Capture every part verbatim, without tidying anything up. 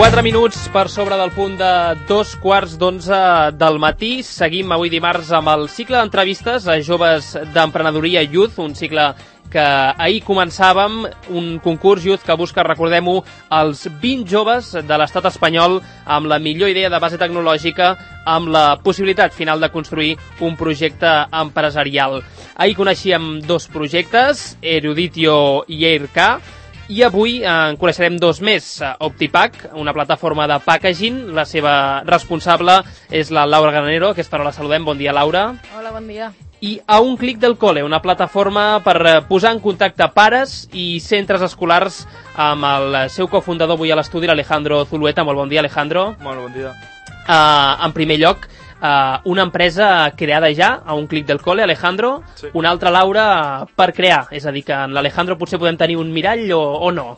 quatre minuts per sobre del punt de dos quarts d'onze del matí. Seguim avui dimarts amb el cicle d'entrevistes a joves d'emprenedoria Youth, un cicle que ahir començàvem, un concurs Youth que busca, recordem-ho, els vint joves de l'estat espanyol amb la millor idea de base tecnològica, amb la possibilitat final de construir un projecte empresarial. Ahir coneixíem dos projectes, Eruditio i Airk, i avui en coneixerem dos més. Optipack, una plataforma de packaging, la seva responsable és la Laura Granero. Aquesta hora la saludem. Bon dia, Laura. Hola, bon dia. I A un clic del cole, una plataforma per posar en contacte pares i centres escolars amb el seu cofundador avui a l'estudi, l'Alejandro Zulueta. Molt bon dia, Alejandro. Molt bon dia. Uh, en primer lloc, Uh, una empresa creada ja a un clic del cole, Alejandro, sí. Una altra, Laura, per crear, és a dir, que en l'Alejandro potser podem tenir un mirall o, o no.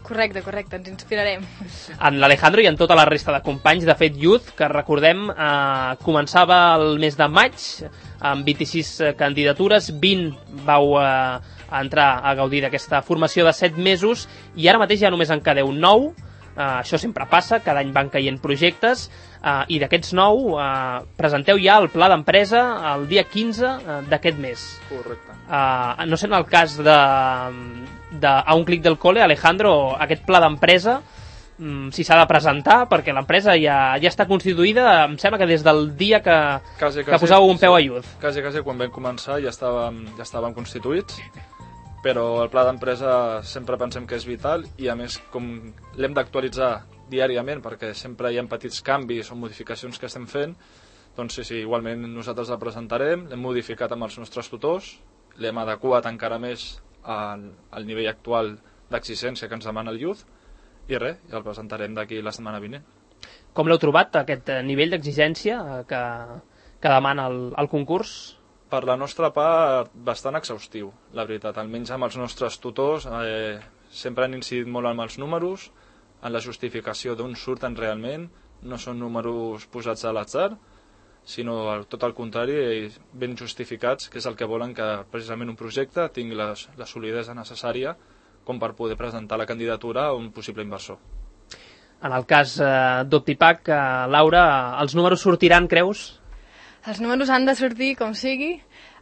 Correcte, correcte, ens inspirarem. En l'Alejandro i en tota la resta de companys, de fet, Youth, que recordem, uh, començava el mes de maig, amb vint-i-sis candidatures, vint vau uh, entrar a gaudir d'aquesta formació de set mesos, i ara mateix ja només en quedeu nou. Uh, això sempre passa, cada any van caient projectes, uh, i d'aquests nou uh, presenteu ja el pla d'empresa el dia quinze uh, d'aquest mes. Correcte. Uh, no sé, en el cas de, de A un clic del cole, Alejandro, aquest pla d'empresa, um, si s'ha de presentar, perquè l'empresa ja, ja està constituïda, em sembla que des del dia que, quasi, quasi, que posàveu un peu sí, a Youth. Quasi, quasi, quan vam començar ja estàvem, ja estàvem constituïts, però el pla d'empresa sempre pensem que és vital i, a més, com l'hem d'actualitzar diàriament perquè sempre hi ha petits canvis o modificacions que estem fent, doncs sí, sí, igualment nosaltres la presentarem, l'hem modificat amb els nostres tutors, l'hem adequat encara més al, al nivell actual d'exigència que ens demana el Youth i res, ja el presentarem d'aquí la setmana vinent. Com l'heu trobat, aquest nivell d'exigència que, que demana el, el concurs? Per la nostra part, bastant exhaustiu, la veritat. Almenys amb els nostres tutors eh, sempre han incidit molt en els números, en la justificació d'on surten realment. No són números posats a l'atzar, sinó tot el contrari, ben justificats, que és el que volen que precisament un projecte tingui la, la solidesa necessària com per poder presentar la candidatura a un possible inversor. En el cas eh, d'Optipack, eh, Laura, els números sortiran, creus? Els números han de sortir com sigui.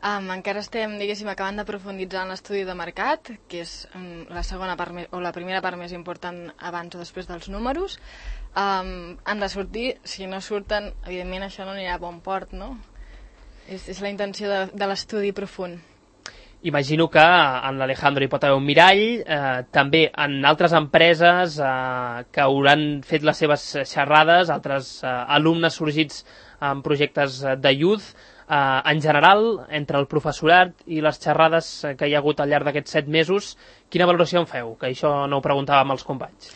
Um, encara estem, diguéssim, acabant de profunditzar en l'estudi de mercat, que és um, la segona part més, o la primera part més important abans o després dels números. Um, han de sortir, si no surten, evidentment això no anirà a bon port, no? És, és la intenció de, de l'estudi profund. Imagino que en l'Alejandro hi pot haver un mirall, eh, també en altres empreses eh, que hauran fet les seves xerrades, altres eh, alumnes sorgits en projectes de Youth. Eh, en general, entre el professorat i les xerrades que hi ha hagut al llarg d'aquests set mesos, quina valoració en feu? Que això no ho preguntàvem als companys.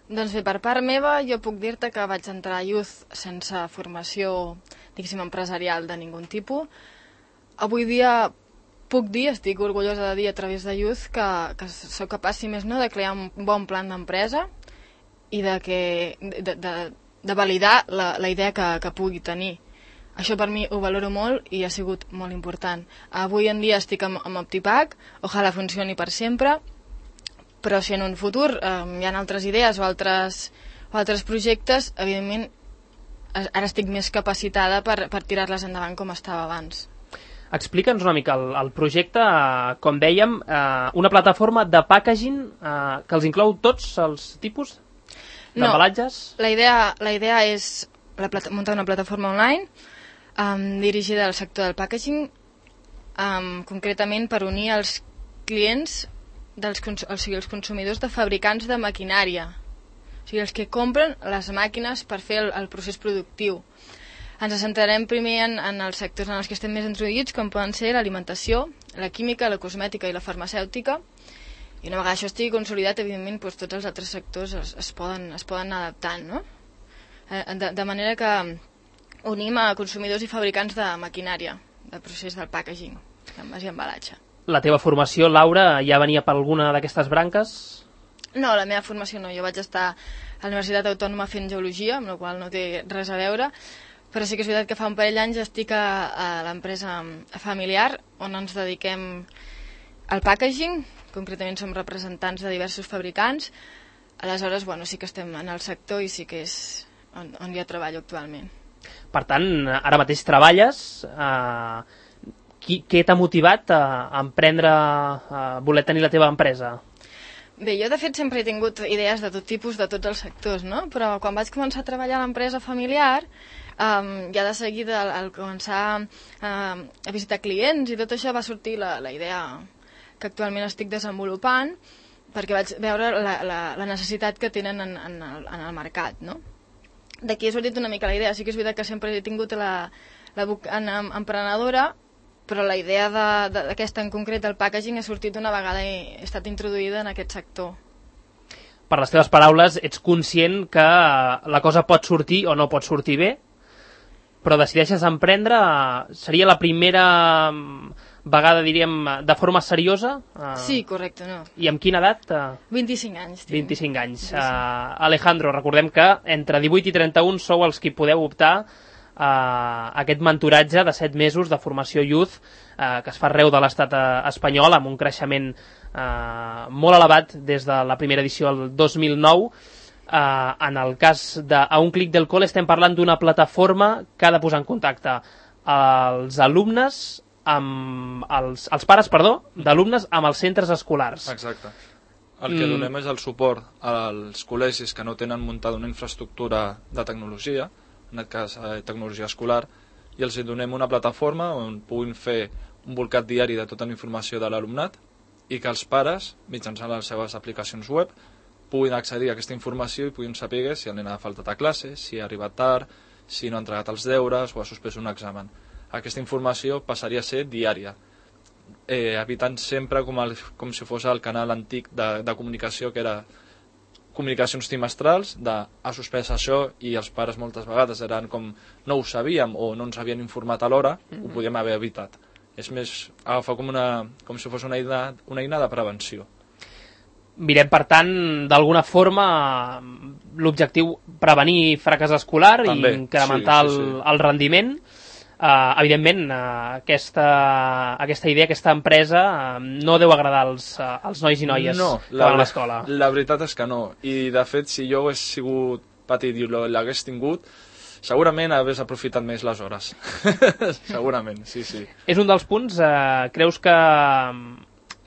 Doncs bé, per part meva, jo puc dir-te que vaig entrar a Youth sense formació, diguéssim, empresarial de ningun tipus. Avui dia puc dir, estic orgullosa de dir a través de Youth que, que sóc capaç, si més no, de crear un bon plan d'empresa i de, que, de, de, de validar la, la idea que, que pugui tenir. Això per mi ho valoro molt i ha sigut molt important. Avui en dia estic amb, amb Optipack, ojalà funcioni per sempre, però si en un futur eh, hi ha altres idees o altres, o altres projectes, evidentment ara estic més capacitada per, per tirar-les endavant com estava abans. Explica'ns una mica el, el projecte, eh, com dèiem, eh, una plataforma de packaging eh, que els inclou tots els tipus d'embalatges? No, la idea, la idea és la plata, muntar una plataforma online um, dirigida al sector del packaging, um, concretament per unir els clients, dels, o sigui, els consumidors de fabricants de maquinària, o sigui, els que compren les màquines per fer el, el procés productiu. Ens centrarem primer en, en els sectors en els que estem més introduïts, com poden ser l'alimentació, la química, la cosmètica i la farmacèutica. I una vegada això estigui consolidat, evidentment, doncs, tots els altres sectors es, es, poden, es poden anar adaptant, no? De, de manera que unim a consumidors i fabricants de maquinària, de procés del packaging, envàs i embalatge. La teva formació, Laura, ja venia per alguna d'aquestes branques? No, la meva formació no. Jo vaig estar a la Universitat Autònoma fent geologia, amb la qual no té res a veure, però sí que és veritat que fa un parell d'anys estic a, a l'empresa familiar on ens dediquem al packaging, concretament som representants de diversos fabricants. Aleshores, bueno, sí que estem en el sector i sí que és on, on jo treballo actualment. Per tant, ara mateix treballes. Eh, qui, què t'ha motivat a, a emprendre, a voler tenir la teva empresa? Bé, jo de fet sempre he tingut idees de tot tipus, de tots els sectors, no? Però quan vaig començar a treballar a l'empresa familiar, um, ja de seguida al, al començar uh, a visitar clients i tot això va sortir la, la idea que actualment estic desenvolupant, perquè vaig veure la, la, la necessitat que tenen en, en, el, en el mercat, no? D'aquí ha sortit una mica la idea. Sí que és veritat que sempre he tingut la, la vacant emprenedora, però la idea d'aquesta en concret, el packaging, ha sortit una vegada i he estat introduïda en aquest sector. Per les teves paraules, ets conscient que la cosa pot sortir o no pot sortir bé, però decideixes emprendre, seria la primera vegada, diríem, de forma seriosa? Sí, correcte, no. I amb quina edat? vint-i-cinc anys. Tinc. vint-i-cinc anys. Uh, Alejandro, recordem que entre divuit i trenta-un sou els qui podeu optar Uh, aquest mentoratge de set mesos de formació Youth uh, que es fa arreu de l'estat uh, espanyol amb un creixement uh, molt elevat des de la primera edició del dos mil nou. Uh, en el cas de A un clic del col estem parlant d'una plataforma que ha de posar en contacte els alumnes amb els, els pares, perdó, d'alumnes amb els centres escolars. Exacte. El que mm. donem és el suport als col·legis que no tenen muntada una infraestructura de tecnologia, en aquest cas eh, tecnologia escolar, i els donem una plataforma on puguin fer un volcat diari de tota la informació de l'alumnat i que els pares, mitjançant les seves aplicacions web, puguin accedir a aquesta informació i puguin saber si el nen ha faltat a classe, si ha arribat tard, si no ha entregat els deures o ha suspès un examen. Aquesta informació passaria a ser diària, eh, evitant sempre com, el, com si fos el canal antic de, de comunicació, que era comunicacions trimestrals de ha suspès això, i els pares moltes vegades eren com no ho sabíem o no ens havien informat a l'hora, mm-hmm. ho podíem haver evitat. És més, agafar com, una, com si fos una eina, una eina de prevenció. Mirem, per tant, d'alguna forma l'objectiu prevenir fracàs escolar També, i incrementar sí, sí, sí. El, el rendiment. Uh, evidentment, uh, aquesta, aquesta idea, aquesta empresa uh, no deu agradar als, uh, als nois i noies no, que van a l'escola. La veritat és que no. I, de fet, si jo hagués sigut petit i l'hagués tingut, segurament hagués aprofitat més les hores. Segurament, sí, sí. És un dels punts, uh, creus que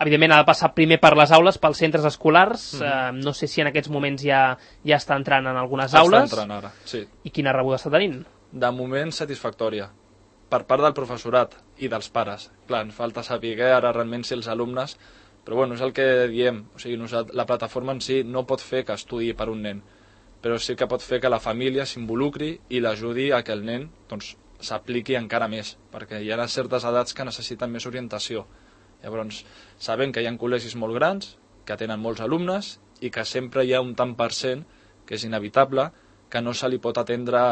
evidentment ha de passar primer per les aules, pels centres escolars, mm-hmm. uh, no sé si en aquests moments ja, ja està entrant en algunes està aules. Està entrant ara, sí. I quina rebuda està tenint? De moment satisfactòria, per part del professorat i dels pares. Clar, ens falta saber ara realment si els alumnes, però bueno, és el que diem, o sigui, la plataforma en si no pot fer que estudiï per un nen, però sí que pot fer que la família s'involucri i l'ajudi a que el nen doncs, s'apliqui encara més, perquè hi ha certes edats que necessiten més orientació. Llavors, sabem que hi ha col·legis molt grans, que tenen molts alumnes i que sempre hi ha un tant per cent, que és inevitable, que no se li pot atendre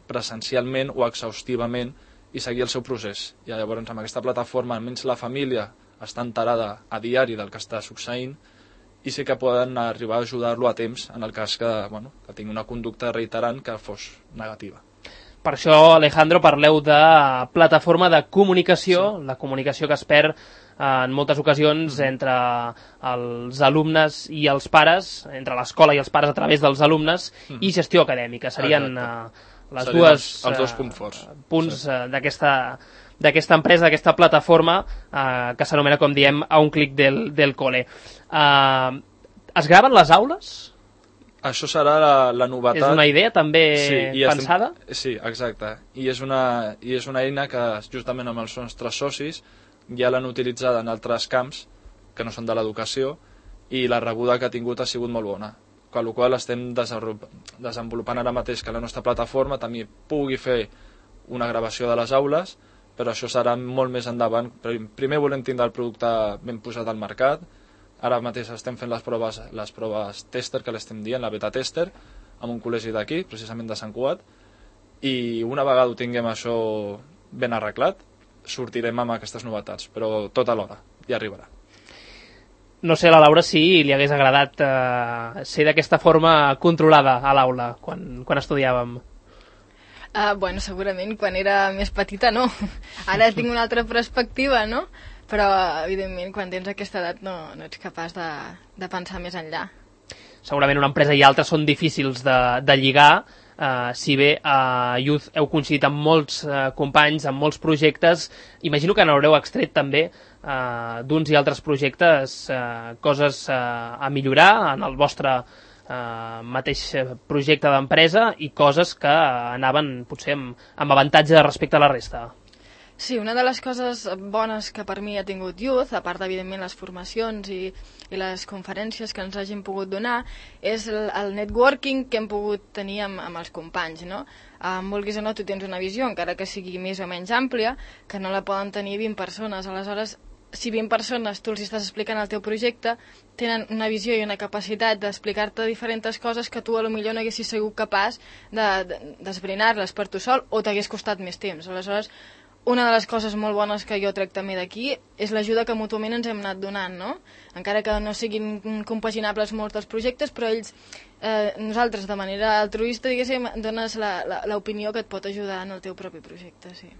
presencialment o exhaustivament i seguir el seu procés. I llavors amb aquesta plataforma almenys la família està enterada a diari del que està succeint i sí que poden arribar a ajudar-lo a temps en el cas que, bueno, que tingui una conducta reiterant que fos negativa. Per això, Alejandro, parleu de plataforma de comunicació, sí. La comunicació que es perd en moltes ocasions mm. entre els alumnes i els pares, entre l'escola i els pares a través dels alumnes, mm. i gestió acadèmica. Serien uh, les Serien dues els, els dos punts forts. Uh, punts sí. uh, d'aquesta d'aquesta empresa, d'aquesta plataforma uh, que s'anomena, com diem, A un clic del, del cole. Uh, es graven les aules? Això serà la, la novetat. És una idea també sí, pensada? Estem... Sí, exacte. I és, una, I és una eina que justament amb els nostres socis ja l'han utilitzada en altres camps que no són de l'educació i la rebuda que ha tingut ha sigut molt bona. Amb la qual estem desenvolupant ara mateix que la nostra plataforma també pugui fer una gravació de les aules, però això serà molt més endavant. Primer volem tindre el producte ben posat al mercat. Ara mateix estem fent les proves, les proves tester, que l'estem dient, la beta tester, amb un col·legi d'aquí, precisament de Sant Cugat, i una vegada ho tinguem això ben arreglat, sortirem amb aquestes novetats, però tot alhora, ja arribarà. No sé, la Laura, si li hagués agradat eh, ser d'aquesta forma controlada a l'aula, quan, quan estudiàvem. Uh, bueno, segurament quan era més petita no. Ara tinc una altra perspectiva, no? Però, evidentment, quan tens aquesta edat no, no ets capaç de, de pensar més enllà. segurament una empresa i altra són difícils de, de lligar, Uh, si bé a Youth heu coincidit amb molts uh, companys, amb molts projectes, imagino que n'haureu extret també uh, d'uns i altres projectes uh, coses uh, a millorar en el vostre uh, mateix projecte d'empresa i coses que anaven potser amb, amb avantatge respecte a la resta. Sí, una de les coses bones que per mi ha tingut Youth, a part evidentment les formacions i, i les conferències que ens hagin pogut donar, és el, el networking que hem pogut tenir amb, amb els companys, no? Um, vulguis o no, tu tens una visió, encara que sigui més o menys àmplia, que no la poden tenir vint persones. Aleshores, si vint persones tu els estàs explicant el teu projecte, tenen una visió i una capacitat d'explicar-te diferents coses que tu a lo millor no haguessis sigut capaç d'esbrinar-les de, per tu sol o t'hagués costat més temps. Aleshores, una de les coses molt bones que jo trec també d'aquí és l'ajuda que mútuament ens hem anat donant, no? Encara que no siguin compaginables molts dels projectes, però ells, eh, nosaltres de manera altruista, diguéssim, dones l'opinió que et pot ajudar en el teu propi projecte, sí.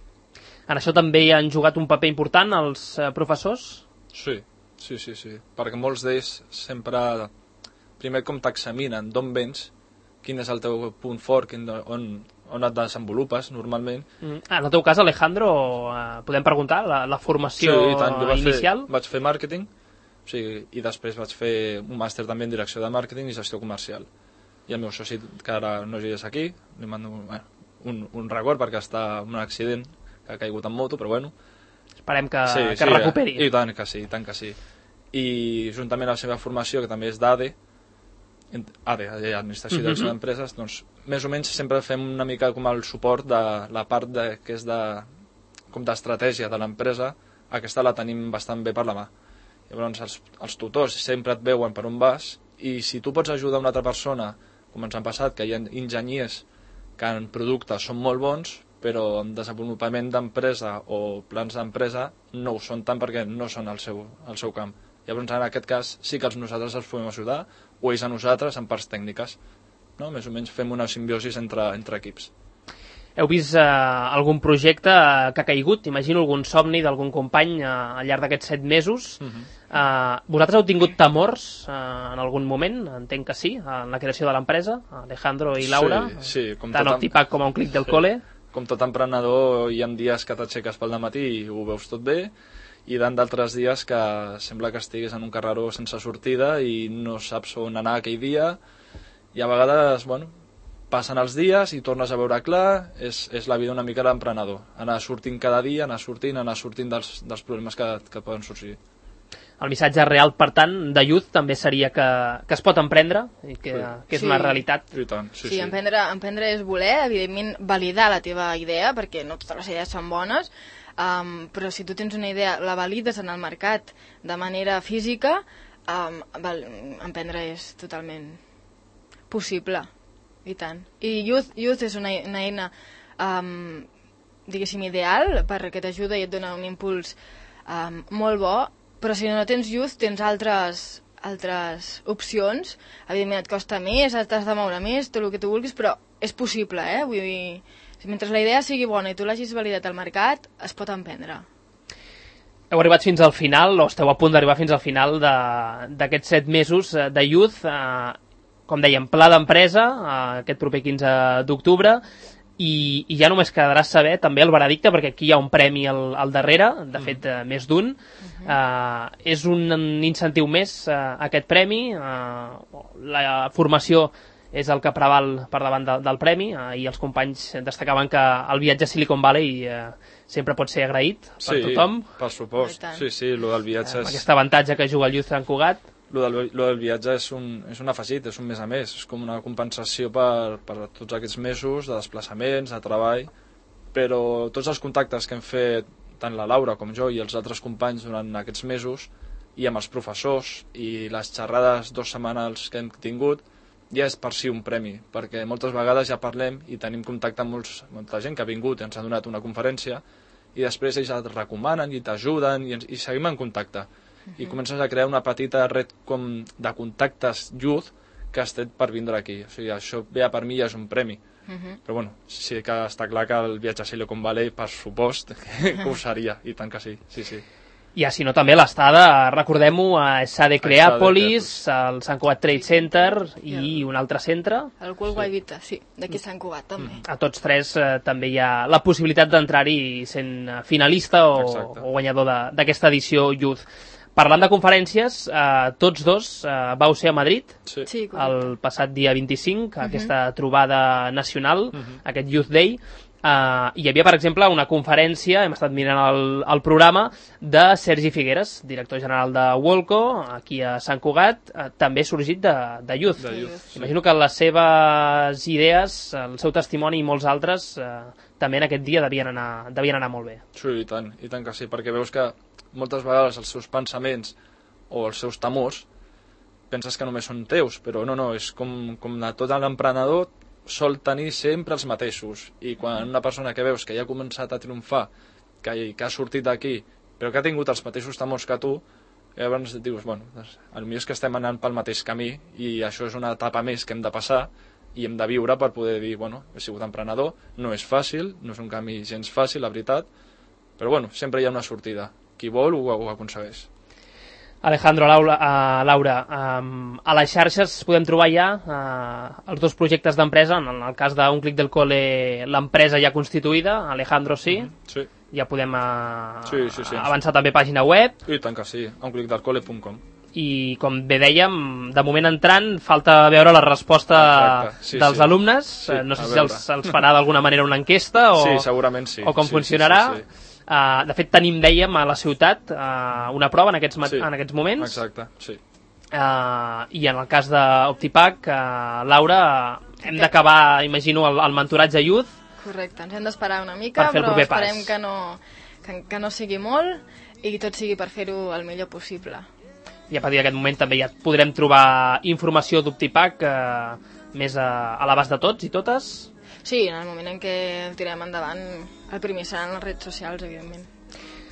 En això també hi han jugat un paper important els eh, professors? Sí, sí, sí, sí, perquè molts d'ells sempre, primer com t'examinen, d'on vens, quin és el teu punt fort, quin, on... on et desenvolupes normalment. Mm. Ah, en el teu cas, Alejandro, eh, podem preguntar la, la formació sí, i tant. Jo vaig inicial? Fer, vaig fer màrqueting, o sigui, i després vaig fer un màster també en direcció de màrqueting i gestió comercial. I el meu soci, que ara no és aquí, li mando bueno, un, un record perquè està en un accident que ha caigut en moto, però bueno. Esperem que, sí, que sí, recuperi. I tant que sí, i tant que sí. I juntament amb la seva formació, que també és d'A D E, A D E, Administració i Direcció uh -huh. d'Empreses, doncs més o menys sempre fem una mica com el suport de la part de, que és de, com d'estratègia de l'empresa, aquesta la tenim bastant bé per la mà. Llavors els, els tutors sempre et veuen per on vas i si tu pots ajudar una altra persona, com ens han passat, que hi ha enginyers que en productes són molt bons, però en desenvolupament d'empresa o plans d'empresa no ho són tant perquè no són el seu, el seu camp. Llavors en aquest cas sí que els nosaltres els podem ajudar o ells a nosaltres en parts tècniques. No? Més o menys fem una simbiosi entre, entre equips. Heu vist eh, algun projecte que ha caigut? Imagino algun somni d'algun company eh, al llarg d'aquests set mesos. Uh-huh. eh, vosaltres heu tingut temors eh, en algun moment? Entenc que sí, en la creació de l'empresa, Alejandro i Laura. Sí, sí. Com tant al Tipac com a un clic del sí. cole. Com tot emprenedor, hi ha dies que t'aixeques pel dematí i ho veus tot bé, i d'altres dies que sembla que estiguis en un carreró sense sortida i no saps on anar aquell dia, i a vegades, bueno, passen els dies i tornes a veure clar, és, és la vida una mica d'emprenedor, anar sortint cada dia, anar sortint, anar sortint dels, dels problemes que, que poden sorgir. El missatge real, per tant, de Youth també seria que, que es pot emprendre i que, sí. que és sí. una realitat. I tant, sí, sí, sí. Emprendre, emprendre és voler, evidentment validar la teva idea, perquè no totes les idees són bones, um, però si tu tens una idea, la valides en el mercat de manera física, um, val, emprendre és totalment possible, i tant. I Youth, Youth és una, una eina, um, diguéssim, ideal, perquè t'ajuda i et dona un impuls um, molt bo, però si no tens Youth tens altres, altres opcions. Evidentment et costa més, t'has de moure més, tot el que tu vulguis, però és possible, eh? Vull dir, mentre la idea sigui bona i tu l'hagis validat al mercat, es pot emprendre. Heu arribat fins al final, o esteu a punt d'arribar fins al final d'aquests set mesos de Youth, eh, com dèiem, pla d'empresa, eh, aquest proper quinze d'octubre, i, i ja només quedarà saber també el veredicte, perquè aquí hi ha un premi al, al darrere, de fet eh, més d'un. Uh-huh. eh, és un incentiu més eh, aquest premi, eh, la formació és el que preval per davant de, del premi, eh, i els companys destacaven que el viatge a Silicon Valley eh, sempre pot ser agraït per sí, tothom. Sí, per supost, sí, sí, lo del viatge eh, és... Aquest avantatge que juga el Youth Sant Cugat. Lo del, lo del viatge és un, és un afegit, és un més a més, és com una compensació per, per tots aquests mesos de desplaçaments, de treball, però tots els contactes que hem fet, tant la Laura com jo i els altres companys durant aquests mesos, i amb els professors, i les xerrades dos setmanals que hem tingut, ja és per si un premi, perquè moltes vegades ja parlem i tenim contacte amb molts, molta gent que ha vingut i ens ha donat una conferència, i després ells et recomanen i t'ajuden, i, i seguim en contacte. I comences a crear una petita red com de contactes Youth que has fet per vindre aquí. O sigui, això ja per mi ja és un premi. Uh-huh. Però bueno, sí que està clar que el viatge a Silicon Valley, per supost, que, que ho seria, i tant que sí, sí, sí. I si no, també l'estada, recordem-ho, a S A D Creàpolis, al Sant Cugat Trade Center i un altre centre. El World Wide Vita, sí, d'aquí Sant Cugat també. A tots tres eh, també hi ha la possibilitat d'entrar-hi sent finalista o, o guanyador d'aquesta edició Youth. Parlant de conferències, eh, tots dos eh, vau ser a Madrid sí. Sí, el passat dia vint-i-cinc, uh -huh. aquesta trobada nacional, uh -huh. aquest Youth Day. Uh, hi havia, per exemple, una conferència, hem estat mirant el, el programa, de Sergi Figueres, director general de Wolco, aquí a Sant Cugat, uh, també sorgit de, de Youth. De Youth sí. Imagino que les seves idees, el seu testimoni i molts altres, uh, també en aquest dia devien anar, devien anar molt bé. Sí, i tant, i tant que sí, perquè veus que moltes vegades els seus pensaments o els seus temors penses que només són teus, però no, no, és com, com de tot l'emprenedor sol tenir sempre els mateixos, i quan una persona que veus que ja ha començat a triomfar, que, que ha sortit d'aquí, però que ha tingut els mateixos temors que tu, llavors dius, bueno, doncs, potser és que estem anant pel mateix camí i això és una etapa més que hem de passar i hem de viure per poder dir, bueno, he sigut emprenedor, no és fàcil, no és un camí gens fàcil, la veritat, però bueno, sempre hi ha una sortida. Qui vol ho, ho aconsegueix. Alejandro, Laura, uh, Laura um, a les xarxes podem trobar ja uh, els dos projectes d'empresa. En el cas d'un Clic del Cole, l'empresa ja constituïda, Alejandro sí, mm-hmm. sí. ja podem uh, sí, sí, sí, avançar sí. també pàgina web. I tant que sí, a un clic del cole punt com. I com bé dèiem, de moment entrant falta veure la resposta sí, dels sí. alumnes, sí, no sé si els, els farà d'alguna manera una enquesta o, sí, segurament sí. o com sí, funcionarà. sí, sí, sí. Uh, de fet tenim, dèiem, a la ciutat uh, una prova en aquests, sí, en aquests moments. Exacte, sí. Uh, I en el cas d'Optipac, uh, Laura, uh, hem d'acabar, imagino, el, el mentoratge Youth. Correcte, ens hem d'esperar una mica, però esperem que no, que, que no sigui molt i tot sigui per fer-ho el millor possible. I a partir d'aquest moment també ja podrem trobar informació d'Optipac uh, més a, a l'abast de tots i totes. Sí, en el moment en què tirem endavant, el primer seran les redes socials, evidentment.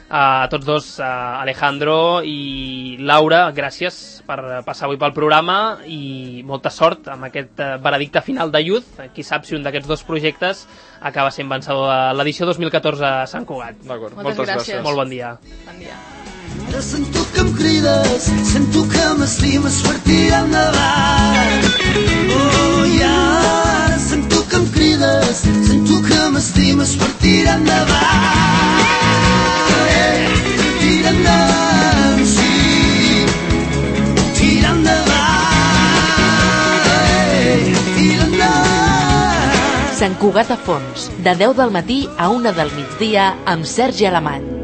A uh, tots dos, uh, Alejandro i Laura, gràcies per passar avui pel programa i molta sort amb aquest uh, veredicte final de Youth. Qui sap si un d'aquests dos projectes acaba sent vencedor de l'edició dos mil catorze a Sant Cugat. D'acord, moltes, moltes gràcies. gràcies. Molt bon dia. Bon dia. Ara sento que em crides, sento que m'estimes per tirar endavant. Oh, i ara sento que em crides, sento que m'estimes per tirar endavant. Eh, tira endavant, sí, tira endavant, eh, tira endavant. Sant Cugat a Fons, de deu del matí a una del migdia amb Sergi Alemany.